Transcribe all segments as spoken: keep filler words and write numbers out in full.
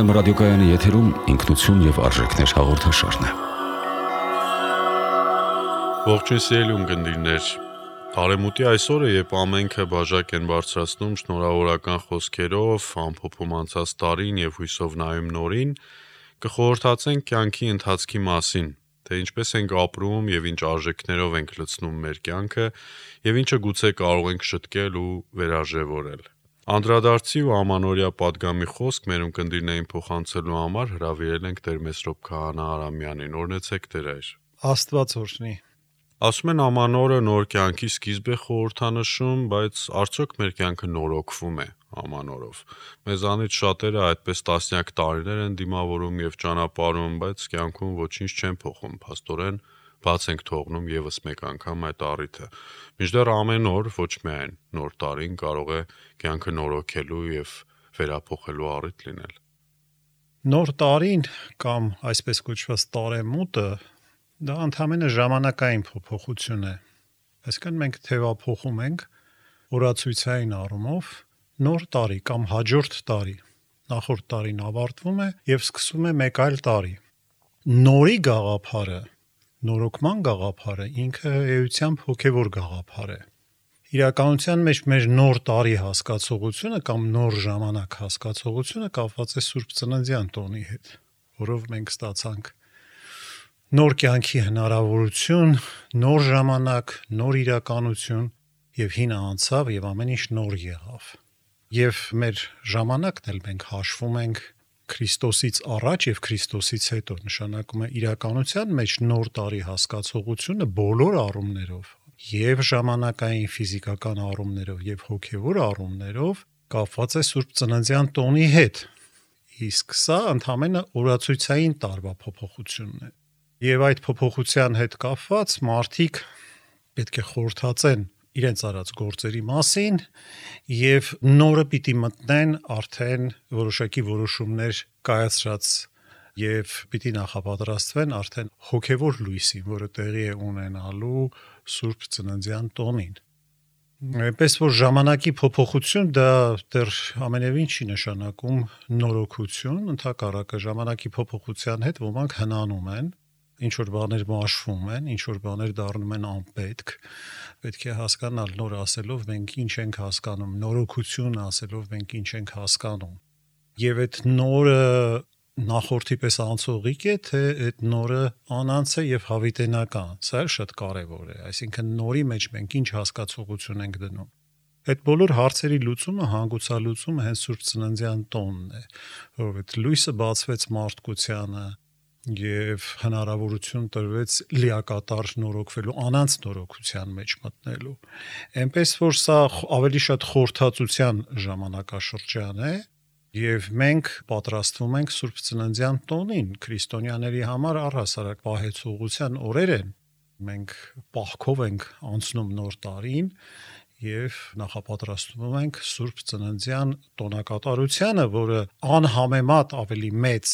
Երգորիա ռադիոկայանի եթերում ինքնություն եւ արժեքներ հաղորդաշարն է։ Ողջույն սիրելի ունկնդիրներ, Արեմուտի այսօրը, երբ ամենքը բաժակ են բարձրացնում շնորհավորական խոսքերով, ամփոփում անցած տարին եւ հույսով նայում նորին, կխորհրդացենք կյանքի ընթացքի մասին, թե ինչպես ենք ապրում եւ ինչ արժեքներով ենք լցնում մեր կյանքը եւ ինչը գուցե կարող ենք շտկել ու վերարժևորել։ Անդրադարձի ու ամանորյա պատգամի խոսք մեր ունկնդիրներին փոխանցելու համար հրավիրել ենք Տեր Մեսրոպ Քահանա Արամյանին։ Օրհնեցեք Տեր այր։ Աստված օրհնի։ Ասում են ամանորը նոր կյանքի սկիզբ է խորհրդանշում, բայց արդյոք մեր կյանքը նորոգվում է ամանորով։ Մեզանից շատերը այդպես տասնյակ տարիներ են դիմավորում եւ ճանապարհում, բայց կյանքում ոչինչ չեն փոխում, փաստորեն բաց ենք թողնում եւս մեկ անգամ այդ առիթը։ Մինչդեռ ամեն օր ոչ միայն նոր տարին կարող է կյանքը նորոգելու եւ վերափոխելու առիթ լինել։ Նոր տարին կամ այսպես կոչված տարեմուտը դա ընդհանրապես ժամանակային փոփոխություն է։ Այսինքն մենք թևափոխում ենք օրացույցային առումով նոր տարի կամ հաջորդ տարի։ Նախորդ տարին ավարտվում է եւ սկսում է մեկ այլ տարի։ Նորի գաղափարը, նորոգման գաղափարը ինքը էությամբ հոգևոր գաղափար է։ Իրականության մեջ մեր նոր տարի հասկացողությունը կամ նոր ժամանակ հասկացողությունը կապված է Սուրբ Ծննդյան տոնի հետ, որով մենք ստացանք նոր կյանքի հնարավորություն, նոր ժամանակ, նոր իրականություն եւ հինը անցավ եւ ամեն ինչ նոր եղավ։ Եվ մեր ժամանակն էլ մենք հաշվում ենք Քրիստոսից առաջ եւ Քրիստոսից հետո, նշանակում է իրականության մեջ նոր տարի հասկացողությունը բոլոր առումներով եւ ժամանակային ֆիզիկական առումներով եւ հոգեվոր առումներով կապված է Սուրբ Ծննդյան տոնի հետ։ Իսկ սա ընդհանրապես օրացույցային տարվա փոփոխությունն է։ Եվ այդ փոփոխության հետ կապված մարդիկ պետք է խորհրդացեն իրենց արած գործերի մասին եւ նորը պիտի մտնեն արդեն որոշակի որոշումներ կայացրած եւ պիտի նախապատրաստվեն արդեն հոգեվոր լույսին, որը տեղի է ունենալու Սուրբ Ծննդյան տոնին։ Այնպես որ ժամանակի փոփոխություն դա դեռ ամենևին չի նշանակում նորոգություն, ընդհակառակը ժամանակի փոփոխության հետ ոմանք հնանում են, ինչ որ բաներ մաշվում են, ինչ որ բաներ դառնում են անպետք, պետք է հասկանալ նոր ասելով մենք ինչ ենք հասկանում, նորոգություն ասելով մենք ինչ ենք հասկանում։ Եվ այդ նորը նախորդի պես անցողիկ է, թե այդ նորը անանց է եւ հավիտենական։ Սա էլ շատ կարեւոր է, այսինքն նորի մեջ մենք ինչ հասկացողություն ենք դնում։ Այդ բոլոր հարցերի լուծումը, հանգուցալուծումը հենց Սուրբ Ծննդյան տոնն է, որովհետեւ լույսը բացվեց մարդկությանը եւ հնարավորություն տրվեց լիակատար նորոգվելու, անանց նորոգության մեջ մտնելու։ Այնպես որ սա ավելի շատ խորհրդածության ժամանակաշրջան է եւ մենք պատրաստվում ենք Սուրբ Ծննդյան տոնին, քրիստոնյաների համար առհասարակ պահեցողության օրեր են։ Մենք պահքով ենք անցնում նոր տարին եւ նախապատրաստվում ենք Սուրբ Ծննդյան տոնակատարությանը, որը անհամեմատ ավելի մեծ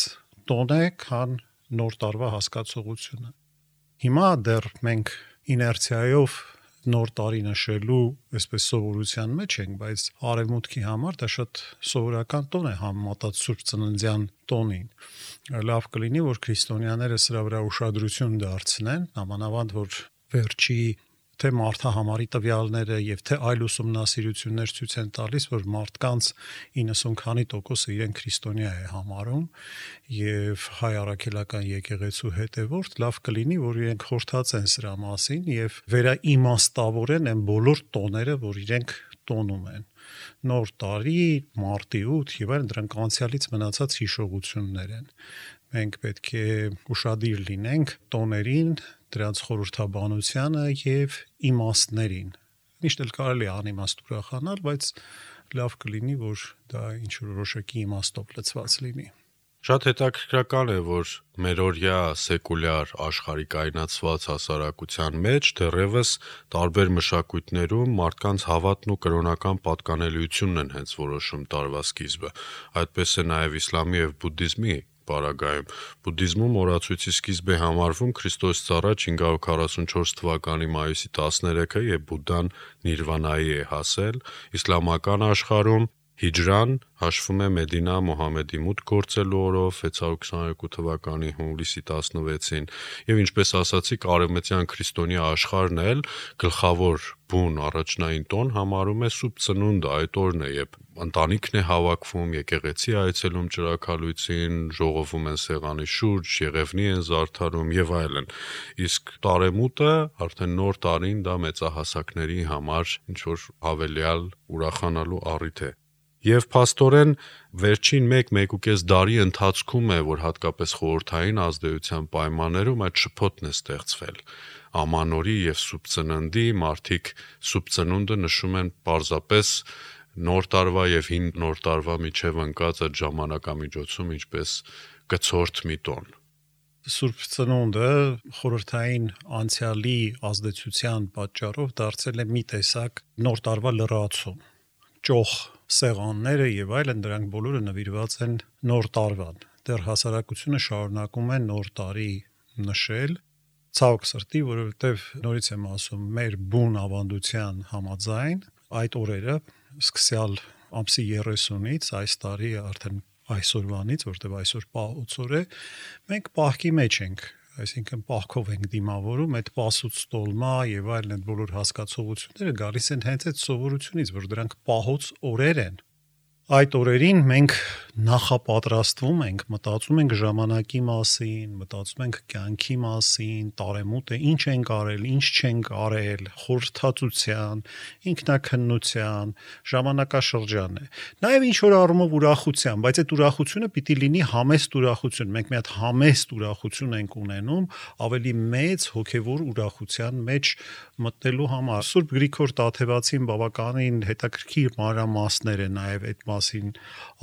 տոն է, քան նոր տարվա հասկացողությունը։ Հիմա դեռ մենք իներցիայով նոր տարի նշելու այսպես սովորության մեջ ենք, բայց արևմուտքի համար դա շատ սովորական տոն է համեմատած Սուրբ Ծննդյան տոնին։ Լավ կլինի, որ քրիստոնյաները սրա վրա ուշադրություն դարձնեն, նամանավանդ որ վերջի թե մարդահամարի տվյալները եւ թե այլ ուսումնասիրություններ ցույց են տալիս, որ մարդկանց իննսուն քանի տոկոսը իրեն քրիստոնյա է համարում եւ հայ առաքելական եկեղեցու հետևորդ, լավ կլինի, որ իրենք խորհրդացեն սրա մասին եւ վերաիմաստավորեն այն բոլոր տոները, որ իրենք տոնում են։ Նոր տարի, մարտի ութ եւ այլն դրանք անցյալից մնացած հիշողություններ են։ Մենք պետք է ուշադիր լինենք տոներին, դրանց խորհրդաբանությանը եւ իմաստներին։ Միշտ էլ կարելի է անիմաստ ուրախանալ, բայց լավ կլինի, որ դա ինչ-որ որոշակի իմաստով լցված լինի։ Շատ հետաքրքրական է, որ մերօրյա սեկուլյար աշխարհի կայունացված հասարակության մեջ դեռևս տարբեր մշակույթներում մարդկանց հավատն ու կրոնական պատկանելիությունն են հենց որոշում տարվա սկիզբը։ Այդպես է նաև իսլամի եւ բուդդիզմի պարագայում։ Բուդդիզմում օրացույցի սկիզբ է համարվում Քրիստոսից առաջ հինգ հարյուր քառասունչորս թվականի մայիսի տասներեքը, երբ Բուդդան նիրվանայի է հասել, իսլամական աշխարհում Հիջրան հաշվում է Մեդինա Մոհամեդի մուտք գործելու օրով վեց հարյուր քսաներկու թվականի հունվարի տասնվեցին եւ ինչպես ասացիք արևմտյան քրիստոնյա աշխարհն էլ գլխավոր բուն առաջնային տոն համարում է Սուրբ Ծնունդը, այդ օրն է, երբ ընտանիքն է հավաքվում, եկեղեցի այցելում ճրագալույցին, ժողովում են սեղանի շուրջ, եղևնի են զարդարում եւ այլն։ Իսկ տարեմուտը արդեն նոր տարին դա մեծահասակների համար ինչ որ հավելյալ ուրախանալու առիթ է։ Եվ փաստորեն վերջին մեկ-մեկուկես դարի ընթացքում է, որ հատկապես խորհրդային ազդեցության պայմաններում այդ շփոթն է ստեղծվել։ Ամանորի եւ Սուրբ Ծննդի մարդիկ Սուրբ Ծնունդը նշում են պարզապես նոր տարվա եւ հին նոր տարվա միջև ընկած այդ ժամանակամիջոցում ինչպես կցորդ մի տոն։ Սուրբ Ծնունդը խորհրդային անցյալի ազդեցության պատճառով դարձել է մի տեսակ նոր տարվա լրացում։ Ճոխ սեղանները եւ այլն դրանք բոլորը նվիրված են նոր տարվան։ Դեռ հասարակությունը շարունակում է նոր տարի նշել, ցավոք սրտի, որովհետեւ նորից եմ ասում, մեր բուն ավանդության համաձայն այդ օրերը սկսյալ ամսի երեսունից այս տարի արդեն այսօրվանից, որտեւ այսօր պահոց օր է, մենք պահքի մեջ ենք, այսինքն պահքով ենք դիմավորում, այդ պասուց տոլմա եւ այլն այդ բոլոր հասկացողությունները գալիս են հենց այդ սովորությունից, որ դրանք պահոց օրեր են։ Այդ օրերին մենք նախապատրաստվում ենք, մտածում ենք ժամանակի մասին, մտածում ենք կյանքի մասին, տարեմուտը ինչ ենք արել, ինչ չենք արել, խորհրդածության, ինքնակննության, ժամանակաշրջան է։ Նաև ինչ որ առումով ուրախության, բայց այդ ուրախությունը պիտի լինի համեստ ուրախություն։ Մենք մի հատ համեստ ուրախություն ենք ունենում, ավելի մեծ հոգևոր ուրախության մեջ մտնելու համար։ Սուրբ Գրիգոր Տաթևացին բավականին հետաքրքիր մանրամասներ է նաև այդ մասին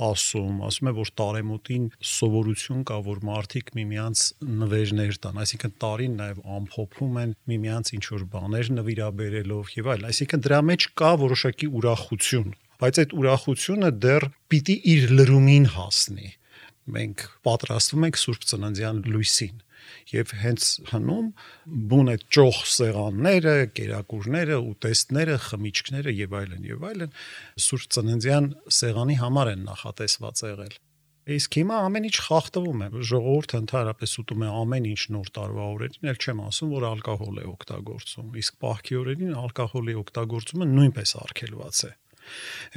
ասում, ասում է, որ տարեմուտին սովորություն կա, որ մարդիկ միմյանց նվերներ տան, այսինքն տարին նաև ամփոփում են միմյանց ինչ որ բաներ նվիրաբերելով եւ այլն, այսինքն դրա մեջ կա որոշակի ուրախություն, բայց այդ ուրախությունը դեռ պիտի իր լրումին հասնի։ Մենք պատրաստվում ենք Սուրբ Ծննդյան լույսին եւ հենց հնում բուն այդ ճոխ սեղանները, կերակուրները, ուտեստները, խմիչքները եւ այլն եւ այլն Սուրբ Ծննդյան սեղանի համար են նախատեսված եղել։ Իսկ հիմա ամեն ինչ խախտվում է, ժողովուրդը ընդհանրապես ուտում է ամեն ինչ նոր տարվա օրերին, ել չեմ ասում, որ ալկոհոլ է օգտագործում, իսկ պահքի օրերին ալկոհոլի օգտագործումը նույնպես արգելված է։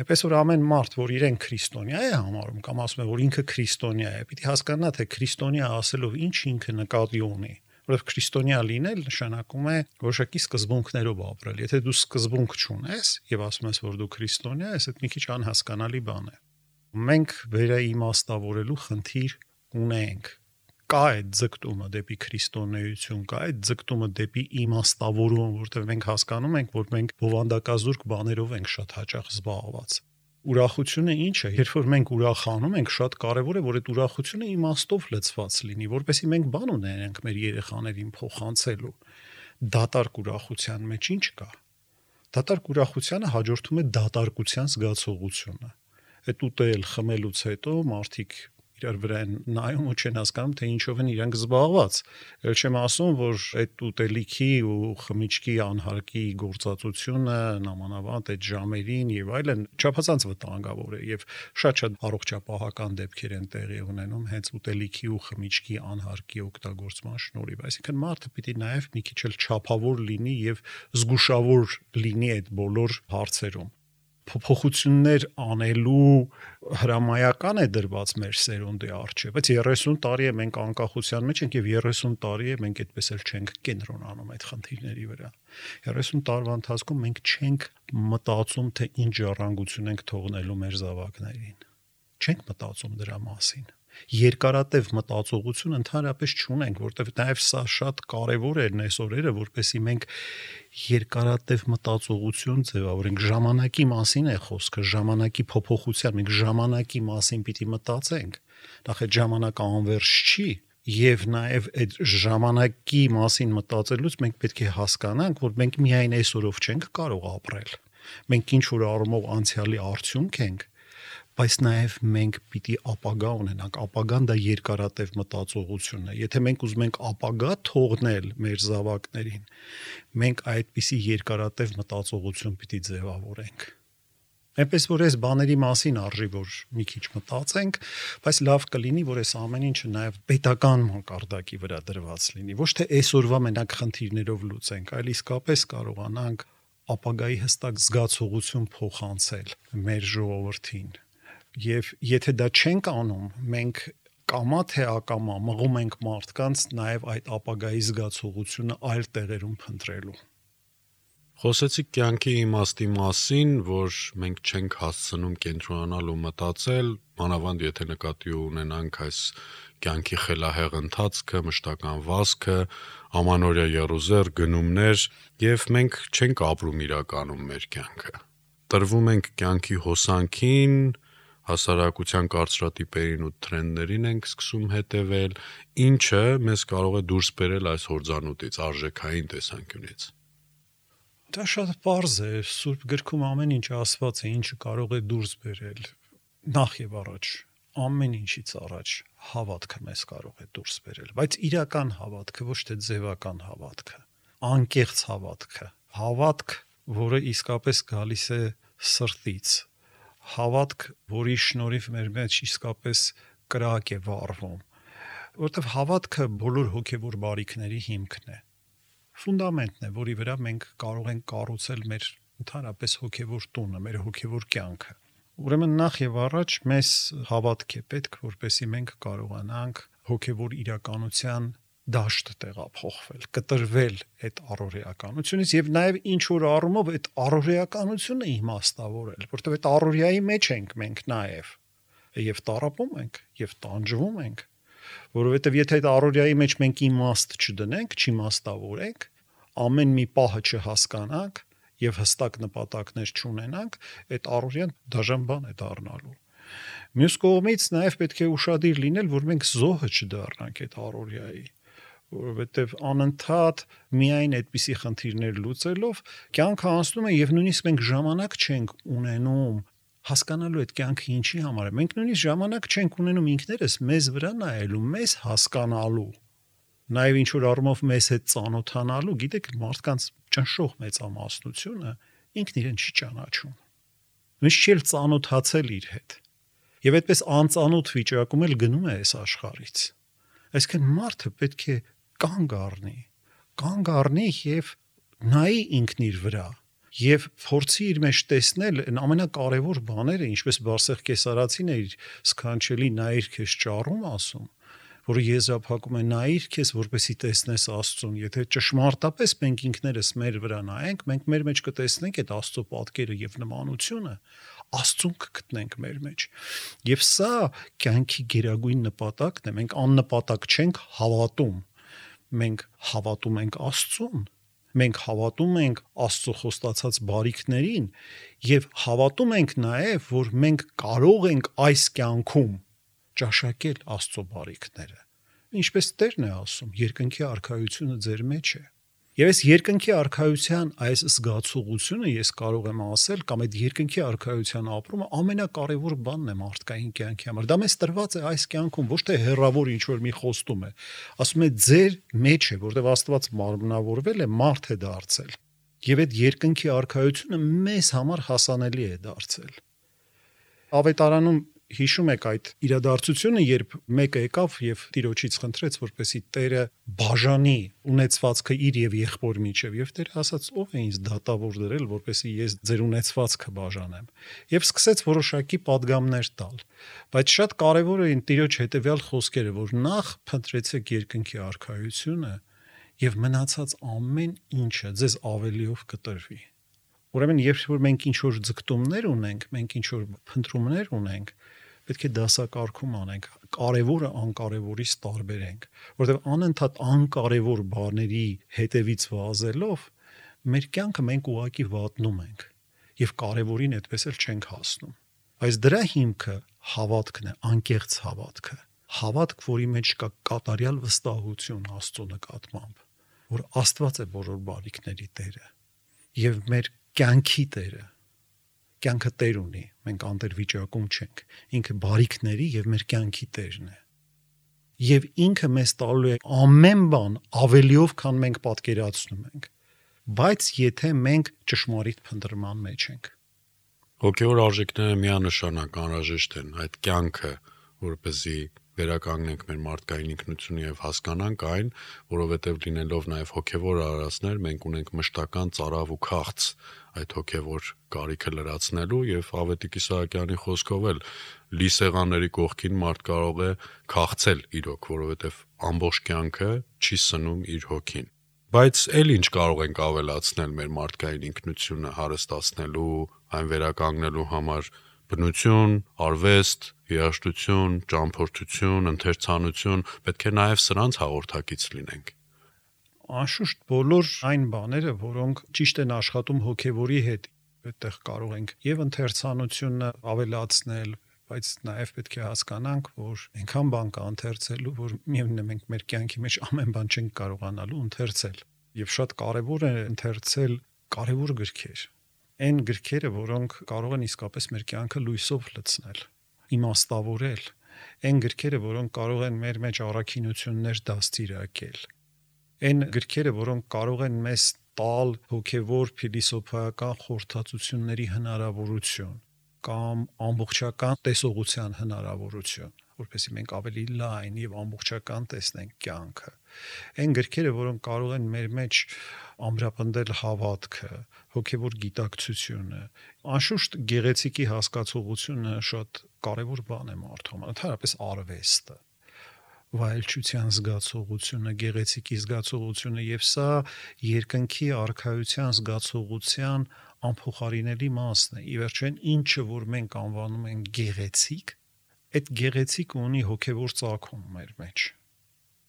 Այնպես որ ամեն մարդ, որ իրեն քրիստոնյա է համարում կամ ասում է, որ ինքը քրիստոնյա է, պիտի հասկանա, թե քրիստոնյա ասելով ինչ ինքը նկատի ունի, որովհետև քրիստոնյա լինել նշանակում է որոշակի սկզբունքներով ապրել։ Եթե դու սկզբունք չունես եւ ասում ես, որ դու քրիստոնյա ես, այդ մի քիչ անհասկանալի բան է։ Մենք վերաիմաստավորելու խնդիր ունենք։ Կա այդ ձգտումը դեպի քրիստոնեություն, կա այդ ձգտումը դեպի իմաստավորում, որտեղ մենք հասկանում ենք, որ մենք բովանդակազուրկ բաներով ենք շատ հաճախ զբաղված։ Ուրախությունը ինչ է, երբ որ մենք ուրախանում ենք, շատ կարևոր է, որ այդ ուրախությունը իմաստով լցված լինի, որպեսզի մենք բան ունենանք մեր երեխաներին փոխանցելու։ Դատարկ ուրախության մեջ ինչ կա։ Դատարկ ուրախությանը հաջորդում է դատարկության զգացողությունը։ Այդ ուտել, խմելուց հետո մարդիկ իրար վրա են նայում ու չեն հասկանում, թե ինչով են իրանք զբաղված։ Էլ չեմ ասում, որ այդ ուտելիքի ու խմիչքի անհարկի գործածությունը նամանավանդ այդ ժամերին եւ այլն չափազանց վտանգավոր է եւ շատ-շատ առողջապահական դեպքեր են տեղի ունենում հենց ուտելիքի ու խմիչքի անհարկի օգտագործման շնորհիվ։ Այսինքն մարդը պիտի նաեւ մի քիչ էլ չափավոր լինի եւ զգուշավոր լինի այդ բոլոր հարցերում։ Փոփոխություններ անելու հրամայական է դրված մեր սերունդի առջև, բայց երեսուն տարի է մենք անկախության մեջ ենք եւ երեսուն տարի է մենք այդպես էլ չենք կենտրոնանում այդ խնդիրների վրա։ երեսուն տարվա ընթացքում մենք չենք մտածում, թե ինչ ժառանգություն ենք թողնելու մեր զավակներին։ Չենք մտածում դրա մասին։ Երկարատև մտածողություն ընդհանրապես չունենք, որտեղ նաև սա շատ կարևոր է այս օրերը, որպեսզի մենք երկարատև մտածողություն ձևավորենք։ Ժամանակի մասին է խոսքը, ժամանակի փոփոխության, մենք ժամանակի մասին պիտի մտածենք։ Նախ այդ ժամանակը անվերջ չի, եւ նաև այդ ժամանակի մասին մտածելուց մենք պետք է հասկանանք, որ մենք միայն այսօրով չենք կարող ապրել։ Մենք ինչ որ առումով անցյալի արդյունք ենք, բայց նաև մենք պիտի ապագա ունենանք, ապագան դա երկարատև մտածողություն է։ Եթե մենք ուզում ենք ապագա թողնել մեր զավակներին, մենք այդպիսի երկարատև մտածողություն պիտի ձևավորենք։ Այնպես որ այս բաների մասին արժի որ մի քիչ մտածենք, բայց լավ կլինի որ այս ամեն ինչը նաև պետական մակարդակի վրա դրված լինի, ոչ թե այսօրվա մենակ խնդիրներով լուծենք, այլ իսկապես կարողանանք ապագայի հստակ զգացողություն փոխանցել մեր ժողովրդին։ Եվ եթե դա չենք անում, մենք կամա թե ակամա մղում ենք մարդկանց նաև այդ ապագայի զգացողությունը այլ տեղերում փնտրելու։ Խոսեցիք կյանքի իմաստի մասին, որ մենք չենք հասցնում կենտրոնանալ ու մտածել, մանավանդ եթե նկատի ունենանք այս կյանքի խելահեղ ընթացքը, մշտական վազքը, ամանորյա եռուզեռ գնումներ, եւ մենք չենք ապրում իրականում մեր կյանքը։ Տրվում ենք կյանքի հոսանքին, հասարակության կարծրատիպերին ու տրենդերին ենք սկսում հետևել, ինչը մեզ կարող է դուրս բերել այս հորձանուտից, արժեքային տեսանկյունից։ Դա շատ պարզ է, Սուրբ գրքում ամեն ինչ ասված է, ինչը կարող է դուրս բերել։ Նախ եւ առաջ, ամեն ինչից առաջ հավատքը մեզ կարող է դուրս բերել, բայց իրական հավատքը, ոչ թե ձևական հավատքը, անկեղծ հավատքը, հավատք, որը իսկապես գալիս է սրտից, հավատք, որի շնորհիվ մեր մեջ իսկապես կրակ է վառվում, որտեղ հավատքը բոլոր հոգեվոր բարիքների հիմքն է։ Ֆունդամենտն է, որի վրա մենք կարող ենք կառուցել մեր ընդհանրապես հոգևոր տունը, մեր հոգևոր կյանքը։ Ուրեմն նախ եւ առաջ մեզ հավատք է պետք, որպեսզի մենք կարողանանք հոգևոր իրականության դաշտ տեղափոխվել, կտրվել այդ առօրեականությունից եւ նաեւ ինչ որ առումով այդ առօրեականությունը իմաստավորել, որտեղ այդ առօրյայի մեջ ենք մենք նաեւ եւ տարապում ենք եւ տանջվում ենք, որովհետեւ եթե այդ առօրյայի մեջ մենք իմաստ չդնենք, չիմաստավորենք, ամեն մի պահը չհասկանանք եւ հստակ նպատակներ չունենանք, այդ առօրյան դաժան բան է դառնալու։ Մյուս կողմից նաեւ պետք է ուշադիր լինել, որ մենք զոհը չդառնանք այդ առօրյայի, որովհետեւ անընդհատ միայն այդպիսի խնդիրներ լուծելով կյանքը անցնում է եւ նույնիսկ մենք ժամանակ չենք ունենում հասկանալու այդ կյանքը ինչի համար է։ Մենք նույնիսկ ժամանակ չենք ունենում ինքներս մեզ վրա նայելու, մեզ հասկանալու, նաև ինչ որ առումով մեզ հետ ծանոթանալու, գիտեք, մարդկանց ճնշող մեծամասնությունը ինքն իրեն չի ճանաչում։ Ոնց չի ծանոթացել իր հետ։ Եվ այդպես անծանոթ վիճակում էլ գնում է այս աշխարհից։ Այսինքն մարդը պետք է կանգ առնի, կանգ առնի եւ նայի ինքն իր վրա։ Եվ փորձի իր մեջ տեսնել այն ամենակարևոր բաները, ինչպես Բարսեղ Կեսարացին է իր սքանչելի նայիր քեզ ճառում ասում, որը եզրափակում է նայիր քեզ, որպեսի տեսնես Աստծուն։ Եթե ճշմարտապես մենք ինքներս մեր վրա նայենք, մենք մեր մեջ կտեսնենք այդ Աստծո պատկերը եւ նմանությունը, Աստծուն կգտնենք մեր մեջ։ Եվ սա կյանքի գերագույն նպատակն է։ Մենք աննպատակ չենք հավատում։ Մենք հավատում ենք Աստծուն։ Մենք հավատում ենք Աստծո խոստացած բարիքներին եւ հավատում ենք նաեւ, որ մենք կարող ենք այս կյանքում ճաշակել Աստծո բարիքները։ Ինչպես Տերն է ասում, երկնքի արքայությունը ձեր մեջ է։ Եվ այս երկնքի արքայության այս զգացողությունը ես կարող եմ ասել, կամ այդ երկնքի արքայության ապրումը ամենակարևոր բանն է մարդկային կյանքի համար։ Դա մեզ տրված է այս կյանքում, ոչ թե հերրավոր ինչ որ մի խոստում է։ Ասում է ձեր մեջ է, որտեղ Աստված մարմնավորվել է, մարդ է դարձել։ Եվ այդ երկնքի արքայությունը մեզ համար հասանելի է դարձել։ Ավետարանում հիշում եք այդ իրադարձությունը, երբ մեկը եկավ եւ Տիրոջից խնդրեց, որպեսի Տերը բաժանի ունեցվածքը իր եւ եղբոր միջև, եւ Տերը ասաց. ով է ինձ դատավոր դրել, որպեսի ես ձեր ունեցվածքը բաժանեմ, եւ սկսեց որոշակի падգամներ տալ։ Բայց շատ կարեւոր էին Տիրոջ հետեւյալ խոսքերը, որ նախ փնտրեցեք երկնքի արքայությունը եւ մնացած ամեն ինչը ձեզ ավելիով կտրվի։ Ուրեմն երբ որ մենք ինչ որ ձգտումներ ունենք, մենք ինչ որ փնտրումներ ունենք, պետք է դասակարգում անենք, կարևորը անկարևորից տարբերենք, որովհետև անընդհատ անկարևոր բաների հետևից վազելով մեր կյանքը մենք ուղակի վատնում ենք եւ կարևորին այդպես էլ չենք հասնում։ Բայց դրա հիմքը հավատքն է, անկեղծ հավատքը, հավատք, որի մեջ կա կատարյալ վստահություն Աստծո նկատմամբ, որ Աստված է բոլոր բարիքների Տերը եւ մեր կյանքի Տերը։ Կյանքը Տեր ունի, մենք անտեր վիճակում չենք, ինքը բարիքների եւ մեր կյանքի Տերն է։ Եվ ինքը մեզ տալու է ամեն բան ավելիով, քան մենք պատկերացնում ենք, բայց եթե մենք ճշմարիտ փնտրման մեջ ենք։ Հոգևոր արժեքները միանշանակ անհրաժեշտ են, այդ կյանքը, որպեսզի վերականգնենք մեր մարդկային ինքնությունը եւ հասկանանք այն, որովհետեւ լինելով նաեւ հոգևոր արարածներ, մենք ունենք մշտական ծարավ ու քաղց այդ հոգևոր կարիքը լրացնելու եւ Ավետիք Իսահակյանի խոսքով էլ լի սեղանների կողքին մարդ կարող է քաղցել իրոք, որովհետեւ ամբողջ կյանքը չի սնում իր հոգին։ Բայց էլ ինչ կարող ենք ավելացնել մեր մարդկային ինքնությունը հարստացնելու, այն վերականգնելու համար բնություն, արվեստ, երաժշտություն, ճամփորդություն, ընթերցանություն, պետք է նաև սրանց հաղորդակից լինենք։ Անշուշտ բոլոր այն բաները, որոնք ճիշտ են աշխատում հոգևորի հետ, այդտեղ կարող ենք եւ ընթերցանությունը ավելացնել, բայց նաև պետք է հասկանանք, որ այնքան բան կա ընթերցելու, որ միևնույն է մենք մեր կյանքի մեջ ամեն բան չենք կարողանալու ընթերցել։ Եվ շատ կարևոր է ընթերցել կարևոր գրքեր։ Այն գրքերը, որոնք կարող են իսկապես մեր կյանքը լույսով լցնել, իմաստավորել, այն գրքերը, որոնք կարող են մեր մեջ առաքինություններ դաստիարակել, այն գրքերը, որոնք կարող են մեզ տալ հոգևոր փիլիսոփայական խորհրդածությունների հնարավորություն կամ ամբողջական տեսողության հնարավորություն, որպեսզի մենք ավելի լայն եւ ամբողջական տեսնենք կյանքը։ Այն գրքերը, որոնք կարող են մեր մեջ ամրապնդել հավատքը, հոգևոր գիտակցությունը, անշուշտ գեղեցիկի հասկացողությունը շատ կարևոր բան է մարդու համար, ընդհանրապես արվեստը, վայելչության զգացողությունը, գեղեցիկի զգացողությունը եւ սա երկնքի արքայության զգացողության անփոխարինելի մասն է։ Ի վերջո ինչը որ մենք անվանում ենք գեղեցիկ, այդ գեղեցիկը ունի հոգևոր ծագում մեր մեջ։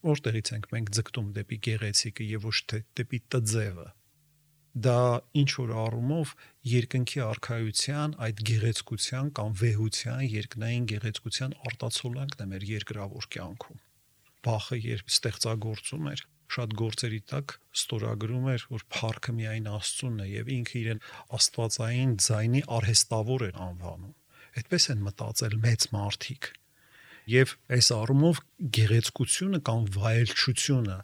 Որտեղից ենք մենք ձգտում դեպի գեղեցիկը եւ ոչ թե դեպի տձևը։ Դա ինչ որ առումով երկնքի արքայության այդ գեղեցկության կամ վեհության, երկնային գեղեցկության արտացոլանքն է մեր երկրավոր կյանքում։ Բախը երբ ստեղծագործում էր, շատ գործերի տակ ստորագրում էր, որ փառքը միայն Աստծունն է եւ ինքը իրեն աստվածային ձայնի արհեստավոր էր անվանում։ Այդպես են մտածել մեծ մարդիկ։ Եվ այս առումով գեղեցկությունը կամ վայելչությունը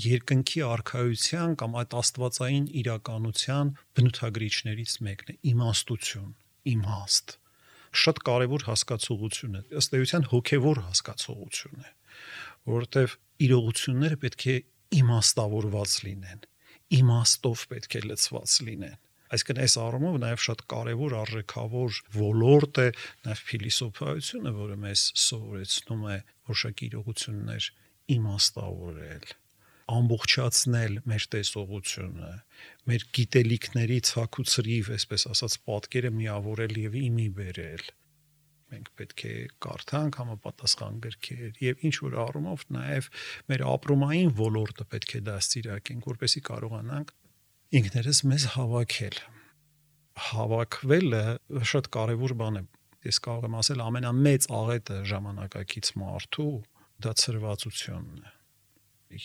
երկնքի արքայության կամ այդ աստվածային իրականության բնութագրիչներից մեկն է՝ իմաստություն, իմաստ։ Շատ կարևոր հասկացողություն է, ըստ էության հոգևոր հասկացողություն է, որովհետև իրողությունները պետք է իմաստավորված լինեն, իմաստով պետք է լցված լինեն։ Այսինքն այս առումով նաև շատ կարևոր արժեքավոր ոլորտ է նաև փիլիսոփայությունը, որը մեզ սովորեցնում է որոշակի իրողություններ իմաստավորել, ամբողջացնել մեր տեսողությունը, մեր գիտելիքների ցաքուցրիվ, այսպես ասած, պատկերը միավորել եւ իմի բերել։ Մենք պետք է կարդանք համապատասխան գրքեր եւ ինչ որ առումով նաև մեր ապրումային ոլորտը պետք է դաստիարակենք, որպեսզի կարողանանք ինքներս մեզ հավաքել։ Հավաքվելը շատ կարևոր բան է։ Ես կարող եմ ասել ամենամեծ աղետը ժամանակակից մարդու դա ցրվածությունն է։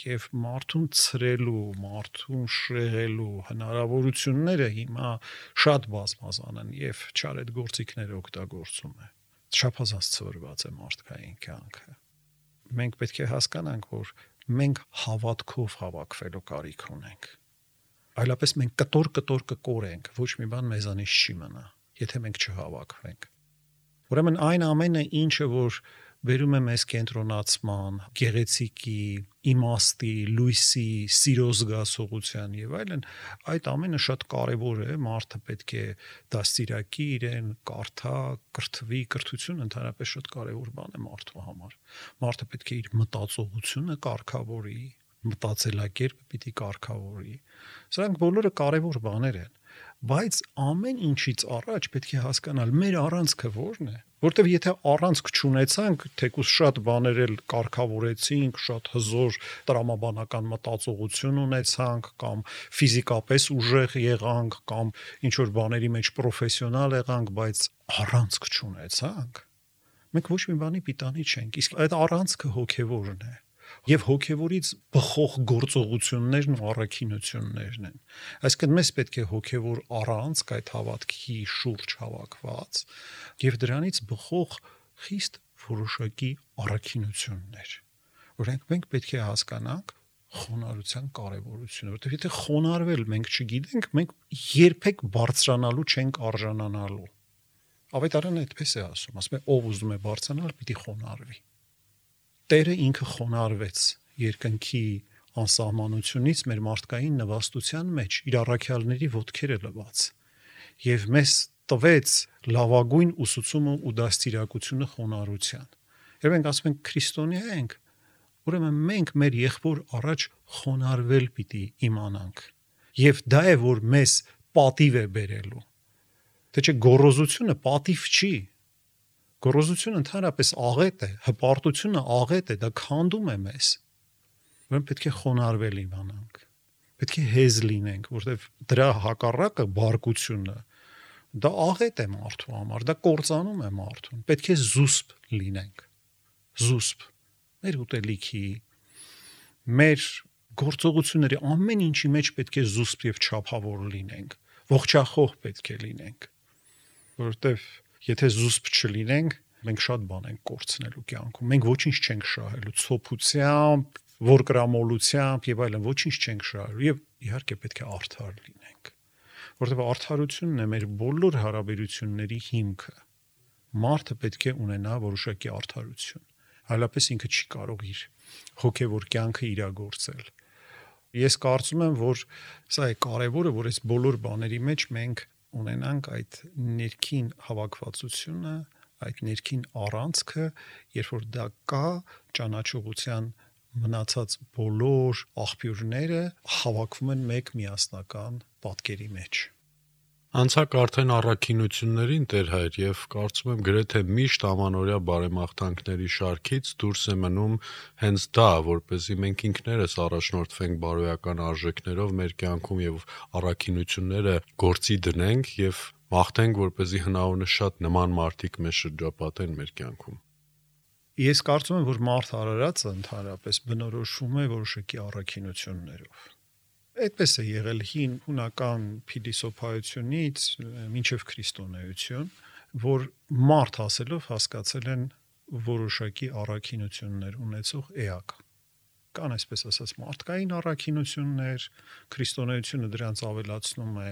Եվ մարդուն ցրելու, մարդուն շեղելու հնարավորությունները հիմա շատ բազմազան են եւ չար այդ գործիքները օգտագործում է։ Չափազանց ցրված է մարդկային կյանքը։ Մենք պետք է հասկանանք, որ մենք հավատքով հավաքվելու կարիք ունենք։ Այլապես մենք կտոր-կտոր կկորենք, ոչ մի բան մեզանից չի մնա, եթե մենք չհավաքվենք։ Ուրեմն այն ամենը, ինչը որ բերում է մեզ կենտրոնացման, գեղեցիկի, իմաստի, լույսի, սիրո զգացողության եւ այլն, այդ ամենը շատ կարեւոր է, մարդը պետք է դաստիարակի իրեն, կարդա, կրթվի, կրթությունը ընդհանրապես շատ կարեւոր բան է մարդու համար։ Մարդը պետք է իր մտածողությունը կարգավորի, մտածելակերպը պիտի կարգավորի։ Սրանք բոլորը կարևոր բաներ են, բայց ամեն ինչից առաջ պետք է հասկանալ մեր առանցքը ո՞րն է, որտեվ եթե առանցք չունեցանք, թեկուզ շատ բաներ էլ կարգավորեցինք, շատ հզոր տրամաբանական մտածողություն ունեցանք կամ ֆիզիկապես ուժեղ եղանք կամ ինչ որ բաների մեջ պրոֆեսիոնալ եղանք, բայց առանցք չունեցանք, մենք ոչ մի բանի պիտանի չենք, իսկ այդ առանցքը հոգևորն է։ Եվ հոգևորից բխող գործողություններն ու առաքինություններն են։ Այսինքն մեզ պետք է հոգևոր առանցք այդ հավատքի շուրջ հավաքված եւ դրանից բխող խիստ որոշակի առաքինություններ, որոնք մենք պետք է հասկանանք խոնարհության կարևորությունը, որովհետեւ եթե խոնարհվել մենք չգիտենք, մենք երբեք բարձրանալու չենք արժանանալու։ Ավետարանը այդպես է ասում, ասում է ով ուզում է բարձրանալ, պիտի խոնարհվի։ Տերը ինքը խոնարհվեց երկնքի անսահմանությունից մեր մարդկային նվաստության մեջ, իր առաքյալների ոտքերը լվաց, եւ մեզ տվեց լավագույն ուսուցումը ու դաստիարակությունը խոնարհության։ Եվ մենք ասում ենք քրիստոնյա ենք, ուրեմն մենք մեր եղբոր առաջ խոնարհվել պիտի իմանանք։ Եվ դա է, որ մեզ պատիվ է բերելու։ Թե չէ գոռոզությունը պատիվ չի։ Գոռոզությունը ընդհանրապես աղետ է, հպարտությունը աղետ է, դա քանդում է մեզ։ Ուրեմն պետք է խոնարհվել իմանանք։ Պետք է հեզ լինենք, որովհետև դրա հակառակը բարկությունը դա աղետ է մարդու համար, դա կործանում է մարդուն։ Պետք է զուսպ լինենք։ Զուսպ մեր ուտելիքի, մեր գործողությունների ամեն ինչի մեջ պետք է զուսպ եւ չափավոր լինենք։ Ողջախոհ պետք է լինենք։ Որովհետև եթե զուսպ չլինենք, մենք շատ բան ենք կորցնելու կյանքում։ Մենք ոչինչ չենք շահելու ցոփությամբ, որկրամոլությամբ եւ այլն, ոչինչ չենք շահելու եւ իհարկե պետք է արդար լինենք։ Որովհետև արդարությունն է մեր բոլոր հարաբերությունների հիմքը։ Մարդը պետք է ունենա որոշակի արդարություն։ Այլապես ինքը չի կարող իր հոգևոր կյանքը իրագործել։ Ես կարծում եմ, որ սա է կարևորը, որ այս բոլոր բաների մեջ մենք ունենանք այդ ներքին հավաքվածությունը, այդ ներքին առանցքը, երբ որ դա կա, ճանաչողության մնացած բոլոր աղբյուրները հավաքվում են մեկ միասնական պատկերի մեջ։ Անցակ արդեն առաքինություններին Տեր Հայր եւ կարծում եմ գրեթե միշտ ամանորյա բարեմաղթանքների շարքից դուրս է մնում հենց դա, որպեսզի մենք ինքներս առաջնորդվենք բարոյական արժեքներով մեր կյանքում եւ առաքինությունները գործի դնենք եւ մաղթենք, որպեսզի հնարավորինս շատ նման մարդիկ մեզ շրջապատեն մեր կյանքում։ Ես կարծում եմ, որ մարդ արարածը ընդհանրապես բնորոշվում է որոշակի առաքինություններով։ Այդպես է եղել հին հունական փիլիսոփայությունից մինչև քրիստոնեություն, որ մարդ ասելով հասկացել են որոշակի առաքինություններ ունեցող էակ։ Կան այսպես ասած մարդկային առաքինություններ, քրիստոնեությունը դրանց ավելացնում է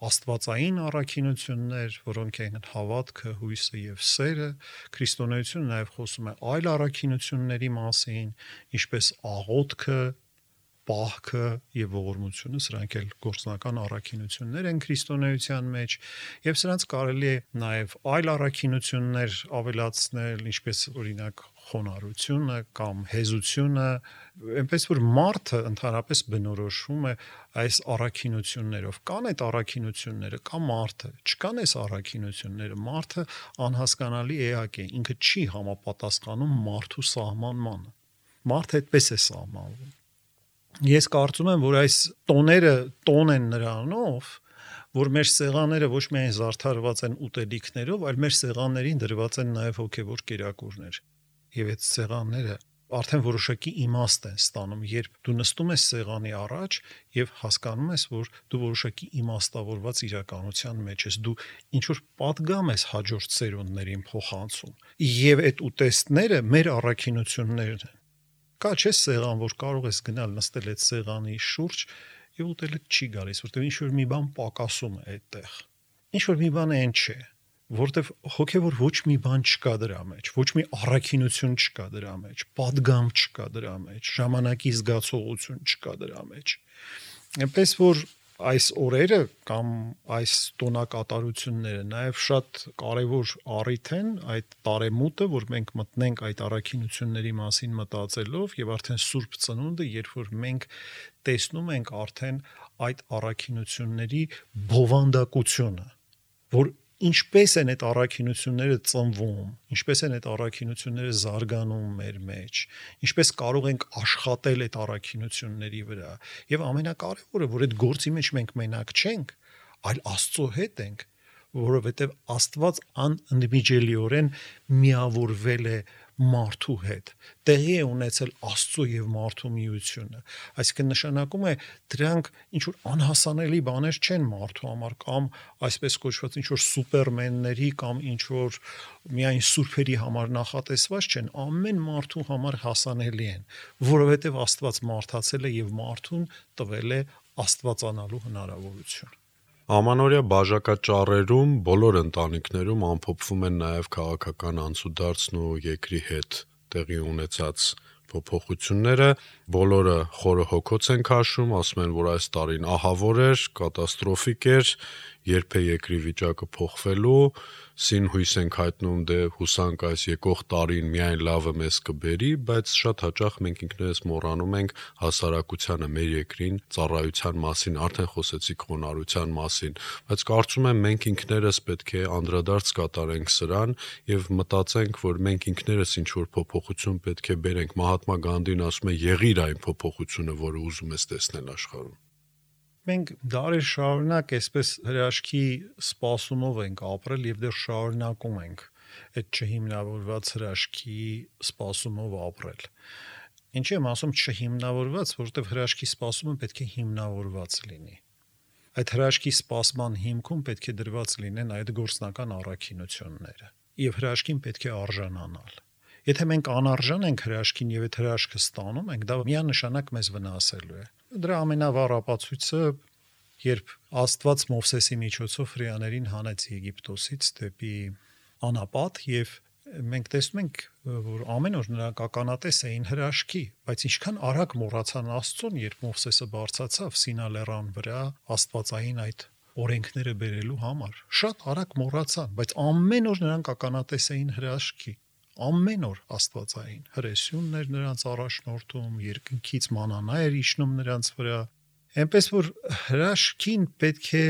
աստվածային առաքինություններ, որոնք են հավատքը, հույսը եւ սերը, քրիստոնեությունը նաեւ խոսում է այլ առաքինությունների մասին, ինչպես աղոթքը, պահքը եւ ողորմությունը, սրանք էլ գործնական առաքինություններ են քրիստոնեության մեջ, եւ սրանց կարելի է նաեւ այլ առաքինություններ ավելացնել, ինչպես օրինակ խոնարհությունը կամ հեզությունը, այնպես որ մարդը ընդհանրապես բնորոշվում է այս առաքինություններով։ Կան այդ առաքինությունները, կա մարդը, չկան այս առաքինությունները, մարդը անհասկանալի էակ է, ինքը չի համապատասխանում մարդու սահմանմանը։ Մարդը այդպես է սահմանվում։ Ես կարծում եմ, որ այս տոները տոն են նրանով, որ մեր սեղանները ոչ միայն զարդարված են ուտելիքներով, այլ մեր սեղաններին դրված են նաև հոգևոր կերակուրներ։ Եվ այդ սեղանները արդեն որոշակի իմաստ են ստանում, երբ դու նստում ես սեղանի առաջ եւ հասկանում ես, որ դու որոշակի իմաստավորված իրականության մեջ ես, դու ինչ որ պատգամ ես հաջորդ սերունդներին փոխանցում։ Եվ այդ ուտեստները մեր առաքինություններն են։ Կա չէ սեղան, որ կարող ես գնալ նստել այդ սեղանի շուրջ եւ ուտելը չի գալիս, որտեղ ինչ որ մի բան պակասում է այդտեղ։ Ինչ որ մի բան այն չէ, որտեղ հոգեվոր ոչ մի բան չկա դրա մեջ, ոչ մի առաքինություն չկա դրա մեջ, պատգամ չկա դրա մեջ, ժամանակի զգացողություն չկա դրա մեջ։ Այնպես որ այս օրերը կամ այս տոնակատարությունները նաև շատ կարևոր առիթ են այդ տարեմուտը, որ մենք մտնենք այդ առաքինությունների մասին մտածելով եւ արդեն Սուրբ Ծնունդը, երբ որ մենք տեսնում ենք արդեն այդ առաքինությունների բովանդակությունը, որ ինչպես են այդ առաքինությունները ծնվում, ինչպես են այդ առաքինությունները զարգանում մեր մեջ, ինչպես կարող ենք աշխատել այդ առաքինությունների վրա, եւ ամենակարևորը, որ այդ գործի մեջ մենք մենակ չենք, այլ Աստծո հետ ենք, որովհետեւ Աստված անընդմիջելիորեն միավորվել է մարդու հետ, տեղի է ունեցել Աստծո եւ մարդու միությունը, այսինքն նշանակում է դրանք ինչ որ անհասանելի բաներ չեն մարդու համար կամ այսպես կոչված ինչ որ սուպերմենների կամ ինչ որ միայն սուրբերի համար նախատեսված չեն, ամեն մարդու համար հասանելի են, որովհետեւ Աստված մարդացել է եւ մարդուն տվել է աստվածանալու հնարավորություն։ Ամանորյա բաժակաճառերում բոլոր ընտանիքներում ամփոփվում են նաև քաղաքական անցուդարձն ու երկրի հետ տեղի ունեցած փոփոխությունները, բոլորը խորը հոգոց են քաշում, ասում են, որ այս տարին ահավոր էր, կատաստրոֆիկ էր, երբ է երկրի վիճակը փոխվելու, սին հույս ենք հայտնում, դե հուսանք այս եկող տարին միայն լավը մեզ կբերի, բայց շատ հաճախ մենք ինքներս մոռանում ենք հասարակությանը, մեր երկրին ծառայության մասին, արդեն խոսեցիք խոնարհության մասին, բայց կարծում եմ մենք ինքներս պետք է անդրադարձ կատարենք սրան եւ մտածենք, որ մենք ինքներս ինչ որ փոփոխություն պետք է բերենք։ Մահատմա Գանդին ասում է՝ եղիր այն փոփոխությունը, որը ուզում ես տեսնել աշխարհում։ Մենք դարեր շարունակ այսպես հրաշքի սպասումով ենք ապրել եւ դեռ շարունակում ենք այդ չհիմնավորված հրաշքի սպասումով ապրել։ Ինչի եմ ասում չհիմնավորված, որովհետեւ հրաշքի սպասումը պետք է հիմնավորված լինի։ Այդ հրաշքի սպասման հիմքում պետք է դրված լինեն այդ գործնական առաքինությունները եւ հրաշքին պետք է արժանանալ։ Եթե մենք անարժան ենք հրաշքին եւ այդ հրաշքը ստանում ենք, դա միանշանակ մեզ վնասելու է։ Դրա ամենավառ ապացույցը, երբ Աստված Մովսեսի միջոցով հրեաներին հանեց Եգիպտոսից դեպի անապատ եւ մենք տեսնում ենք, որ ամեն օր նրանք ականատես էին հրաշքի, բայց ինչքան արագ մոռացան Աստծուն, երբ Մովսեսը բարձրացավ Սինա լեռան վրա Աստվածային այդ օրենքները բերելու համար։ Շատ արագ մոռացան, բայց ամեն օր նրանք ականատես էին հրաշքի։ Ամեն օր Աստվածային հրեսյունն էր նրանց առաջնորդում, երկնքից մանանա էր իջնում նրանց վրա, այնպես որ հրաշքին պետք է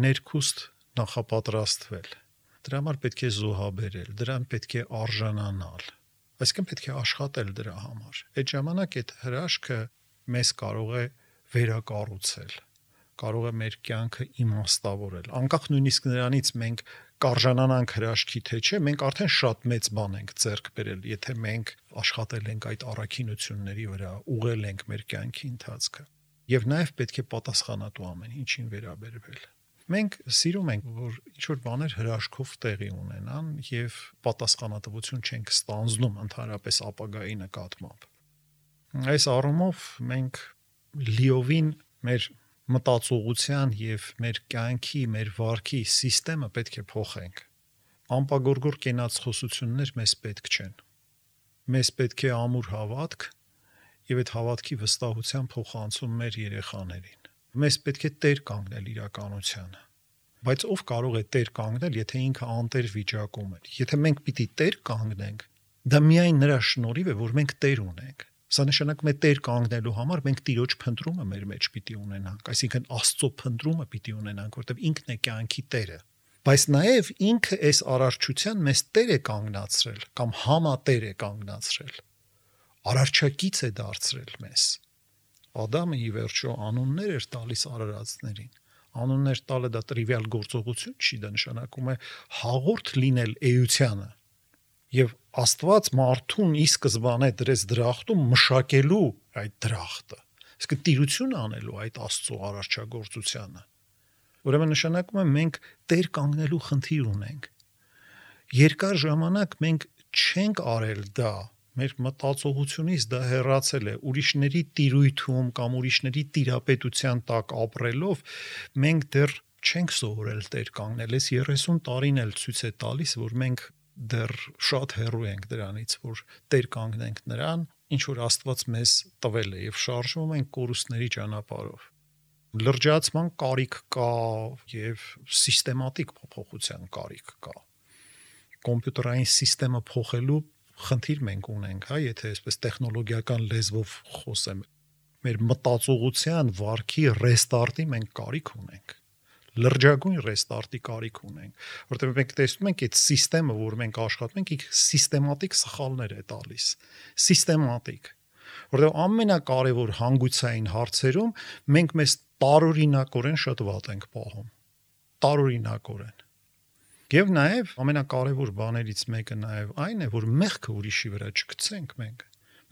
ներքուստ նախապատրաստվել, դրա համար պետք է զոհաբերել, դրան պետք է արժանանալ, այսինքն պետք է աշխատել դրա համար։ Այդ ժամանակ այդ հրաշքը մեզ կարող է վերակառուցել, կարող է մեր կյանքը իմաստավորել, անկախ նույնիսկ նրանից մենք կարժանանանք հրաշքի թե չէ, մենք արդեն շատ մեծ բան ենք ձեռք բերել, եթե մենք աշխատել ենք այդ առաքինությունների վրա, ուղղել ենք մեր կյանքի ընթացքը։ Եվ նաև պետք է պատասխանատու ամեն ինչին վերաբերվել։ Մենք սիրում ենք, որ ինչ-որ բաներ հրաշքով տեղի ունենան եւ պատասխանատվություն չենք ստանձնում ընդհանրապես ապագայի նկատմամբ։ Այս առումով մենք լիովին մեր մտածողության եւ մեր կյանքի, մեր վարքի համակարգը պետք է փոխենք։ Անպագորգոր կենաց խոսություններ մեզ պետք չեն։ Մեզ պետք է ամուր հավատք եւ այդ հավատքի վստահության փոխանցում մեր երեխաներին։ Մեզ պետք է տեր կանգնել իրականությանը։ Բայց ով կարող է տեր կանգնել, եթե ինքը անտեր վիճակում է։ Եթե մենք պիտի տեր կանգնենք, դա միայն նրա շնորհիվ է, որ մենք տեր ունենք։ Սա նշանակում է տեր կանգնելու համար մենք Տիրոջ փնտրումը մեր մեջ պիտի ունենանք, այսինքն Աստծո փնտրումը պիտի ունենանք, որտեղ ինքն է կյանքի Տերը։ Բայց նաև ինքը այս արարչության մեզ Տեր է կանգնացրել կամ համատեր է կանգնացրել։ Արարչակից է դարձրել մեզ։ Ադամը ի վերջո անուններ էր տալիս արարածներին։ Անուններ տալը դա տրիվիալ գործողություն չի, դա նշանակում է հաղորդ լինել էությանը։ Եվ Աստված մարդուն ի սկզբանե դրեց դրախտում մշակելու այդ դրախտը, իսկ տիրություն անելու այդ Աստծո արարչագործությանը։ Ուրեմն նշանակում է մենք տեր կանգնելու խնդիր ունենք։ Երկար ժամանակ մենք չենք արել դա, մեր մտածողությունից դա հեռացել է, ուրիշների տիրույթում կամ ուրիշների տիրապետության տակ ապրելով մենք դեռ չենք սովորել տեր կանգնել։ Այս երեսուն տարին էլ ցույց է տալիս, որ մենք դեռ շատ հեռու ենք դրանից, որ տեր կանգնենք նրան, ինչ որ Աստված մեզ տվել է եւ շարժվում ենք կորուստների ճանապարհով։ Լրջացման կարիք կա եւ սիստեմատիկ փոփոխության կարիք կա։ Կոմպյուտերային համակարգը փոխելու խնդիր մենք ունենք, հա, եթե այսպես տեխնոլոգիական լեզվով խոսեմ, մեր մտածողության վարքի ռեստարտի մենք կարիք ունենք։ Լրջագույն ռեստարտի կարիք ունենք, որտեղ մենք տեսնում ենք այդ համակարգը, որ մենք աշխատում ենք, ինքը սիստեմատիկ սխալներ է տալիս, սիստեմատիկ, որտեղ ամենակարևոր հանգուցային հարցերում մենք մեզ տարօրինակորեն շատ վատ ենք պահում, տարօրինակորեն։ Եվ նաև ամենակարևոր բաներից մեկը նաև այն է, որ մեղքը ուրիշի վրա չգցենք մենք։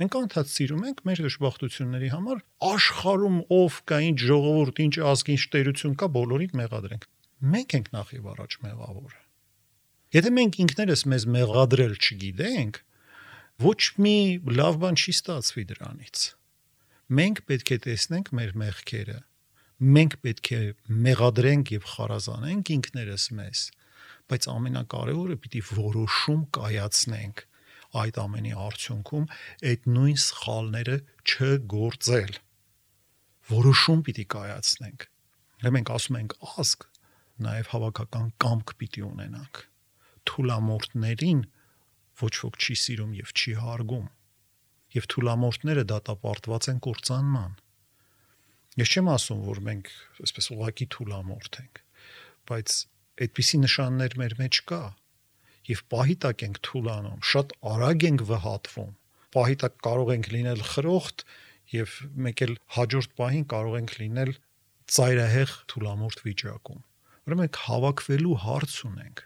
Մենք անդադ սիրում ենք մեր դժբախտությունների համար աշխարհում ով կա, ինչ ժողովուրդ, ինչ ազգ, ինչ տերություն կա, բոլորին մեղադրենք։ Մենք ենք նախ եւ առաջ մեղավորը։ Եթե մենք ինքներս մեզ մեղադրել չգիտենք, ոչ մի լավ բան չի ստացվի դրանից։ Մենք պետք է տեսնենք մեր մեղքերը, մենք պետք է մեղադրենք եւ խարազանենք ինքներս մեզ, բայց ամենակարևորը պիտի որոշում կայացնենք այդ ամենի արդյունքում այդ նույն սխալները չգործել։ Որոշում պիտի կայացնենք։ Դե մենք ասում ենք ազգ, նաեւ հավաքական կամք պիտի ունենանք։ Թուլամորթներին ոչ ոք չի սիրում եւ չի հարգում։ Եվ թուլամորթները դատապարտված են կործանման։ Ես չեմ ասում, որ մենք այսպես ուղղակի թուլամորթ ենք, բայց այդպիսի նշաններ մեր մեջ կա, եւ պահի տակ ենք թուլանում, շատ արագ ենք վհատվում, պահի տակ կարող ենք լինել խրոխտ եւ մեկ էլ հաջորդ պահին կարող ենք լինել ծայրահեղ թուլամորթ վիճակում։ Ուրեմն մենք հավաքվելու հարց ունենք։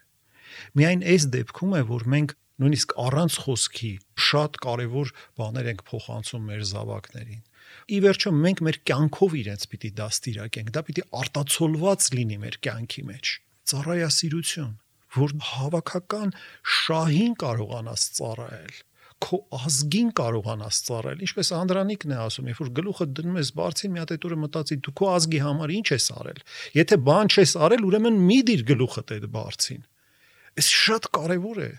Միայն այս դեպքում է, որ մենք նույնիսկ առանց խոսքի շատ կարևոր բաներ ենք փոխանցում մեր զավակներին։ Ի վերջո մենք մեր կյանքով իրենց պիտի դաստիարակենք, դա պիտի արտացոլված լինի մեր կյանքի մեջ։ Ծառայասիրություն, որ հավաքական շահին կարողանաս ծառայել, քո ազգին կարողանաս ծառայել, ինչպես Անդրանիկն է ասում, երբ որ գլուխը դնում ես բարձին, մի հատ այդ օրը մտածի դու քո ազգի համար ինչ ես արել։ Եթե բան չես արել, ուրեմն մի դիր գլուխդ այդ բարձին։ Այս շատ կարևոր է։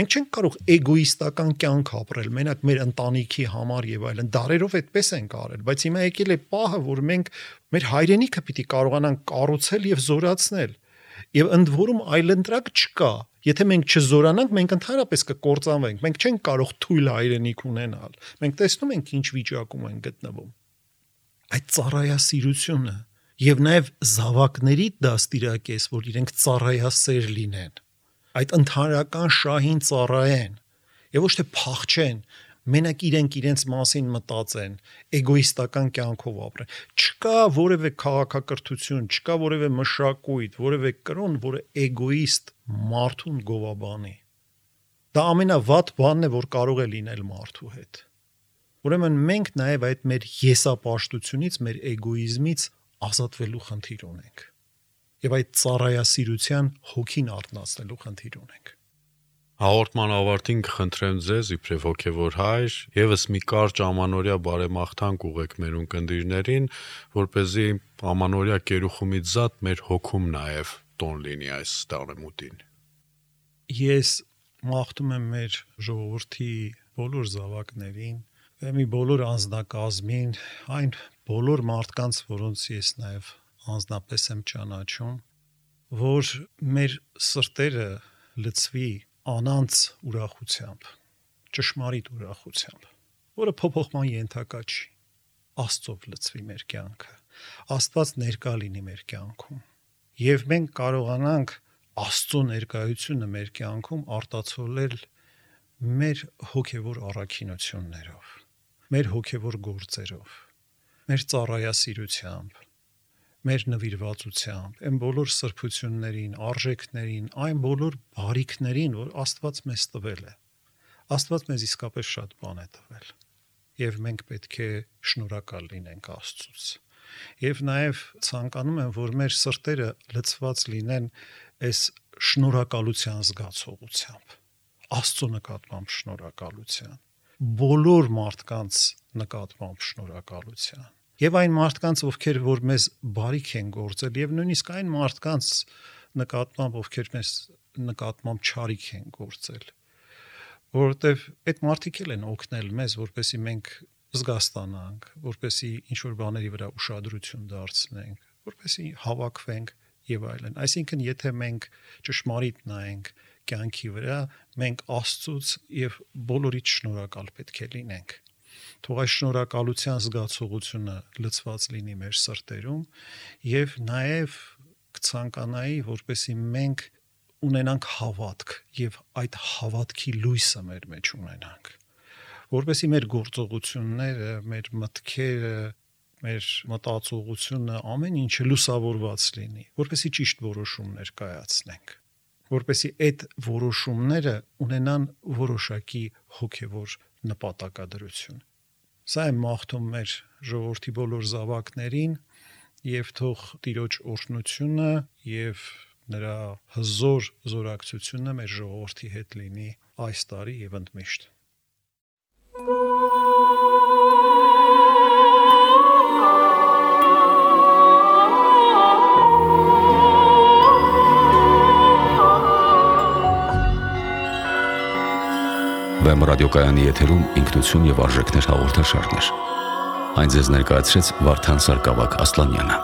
Մենք չենք կարող էգոիստական կյանք ապրել, մենակ մեր ընտանիքի համար եւ այլն, դարերով այդպես ենք արել, բայց հիմա եկել է պահը, որ մենք մեր հայրենիքը պիտի կարողանանք կառուցել եւ զորացնել։ Եվ ընդ որում այլընտրակ չկա։ Եթե մենք չզորանանք, մենք ընդհանրապես կկործանվենք։ Մենք չենք կարող թույլ հայրենիք ունենալ։ Մենք տեսնում ենք ինչ վիճակում են գտնվում։ Այդ ծառայասիրությունը եւ նաեւ զավակների դաստիարակես, որ իրենք ծառայասեր լինեն։ Այդ ընդհանրական շահին ծառայեն եւ ոչ թե փախչեն, մենակ իրենք իրենց մասին մտածեն, էգոիստական կյանքով ապրեն։ Չկա որևէ քաղաքակրթություն, չկա որևէ մշակույթ, որևէ կրոն, որը էգոիստ մարդուն գովաբանի։ Դա ամենավատ բանն է, որ կարող է լինել մարդու հետ։ Ուրեմն մենք նաեւ այդ մեր եսապաշտությունից, մեր էգոիզմից ազատվելու խնդիր ունենք։ Եվ այդ ծառայասիրության հոգին արտնացնելու խնդիր ունենք։ Հաղորդման ավարտին կխնդրեմ ձեզ իբրև հոգևոր հայր եւս մի կարճ ամանորյա բարեմաղթանք ուղեք մեր ունկնդիրներին, որպեսզի ամանորյա կերուխումից զատ մեր հոգում նաեւ տոն լինի այս տարեմուտին։ Ես մաղթում եմ մեր ժողովրդի բոլոր զավակներին, մի բոլոր անձնակազմին, այն բոլոր մարդկանց, որոնց ես նաեւ անձնապես եմ ճանաչում, որ մեր սրտերը լցվի անանց ուրախությամբ, ճշմարիտ ուրախությամբ, որը փոփոխման ենթակա չի։ Աստծով լցվի մեր կյանքը, Աստված ներկա լինի մեր կյանքում, եւ մենք կարողանանք Աստծո ներկայությունը մեր կյանքում արտացոլել մեր հոգևոր առաքինություններով, մեր հոգևոր գործերով, մեր ծառայասիրությամբ, մեր նվիրվածությամբ, այն բոլոր սրբություններին, արժեքներին, այն բոլոր բարիքներին, որ Աստված մեզ տվել է։ Աստված մեզ իսկապես շատ բան է տվել, եւ մենք պետք է շնորհակալ լինենք Աստծուց։ Եվ նաեւ ցանկանում եմ, որ մեր սրտերը լցված լինեն այս շնորհակալության զգացողությամբ, Աստծո նկատմամբ շնորհակալության, բոլոր մարդկանց նկատմամբ շնորհակալության։ Եվ այն մարդկանց, ովքեր որ մեզ բարիք են գործել, եւ նույնիսկ այն մարդկանց նկատմամբ, ովքեր մեզ նկատմամբ չարիք են գործել, որովհետեւ այդ մարդիկ էլ են օգնել մեզ, որպեսզի մենք զգաստանանք, որպեսզի ինչ որ բաների վրա ուշադրություն դարձնենք, որպեսզի հավաքվենք եւ այլն։ Այսինքն, եթե մենք ճշմարիտ նայենք կյանքի վրա, մենք Աստծուց եւ բոլորից շնորհակալ պետք է լինենք։ Թող այս շնորհակալության զգացողությունը լցված լինի մեր սրտերում եւ նաեւ կցանկանայի, որպեսզի մենք ունենանք հավատք եւ այդ հավատքի լույսը մեր մեջ ունենանք, որպեսզի մեր գործողությունները, մեր մտքերը, մեր մտածողությունը, ամեն ինչը լուսավորված լինի, որպեսզի ճիշտ որոշումներ կայացնենք, որպեսզի այդ որոշումները ունենան որոշակի հոգեվոր նպատակադրություն։ Սա է մաղթում մեր ժողովրդի բոլոր զավակներին եւ թող Տիրոջ օրհնությունը եւ նրա հզոր զորակցությունը մեր ժողովրդի հետ լինի այս տարի եւ ընդմիշտ։ Վեմ ռադիոկայանի եթերում ինքնություն եւ արժեքներ հաղորդաշարներ։ Այն ձեզ ներկայացրեց Վարդան Սարգսակ Ասլանյանը։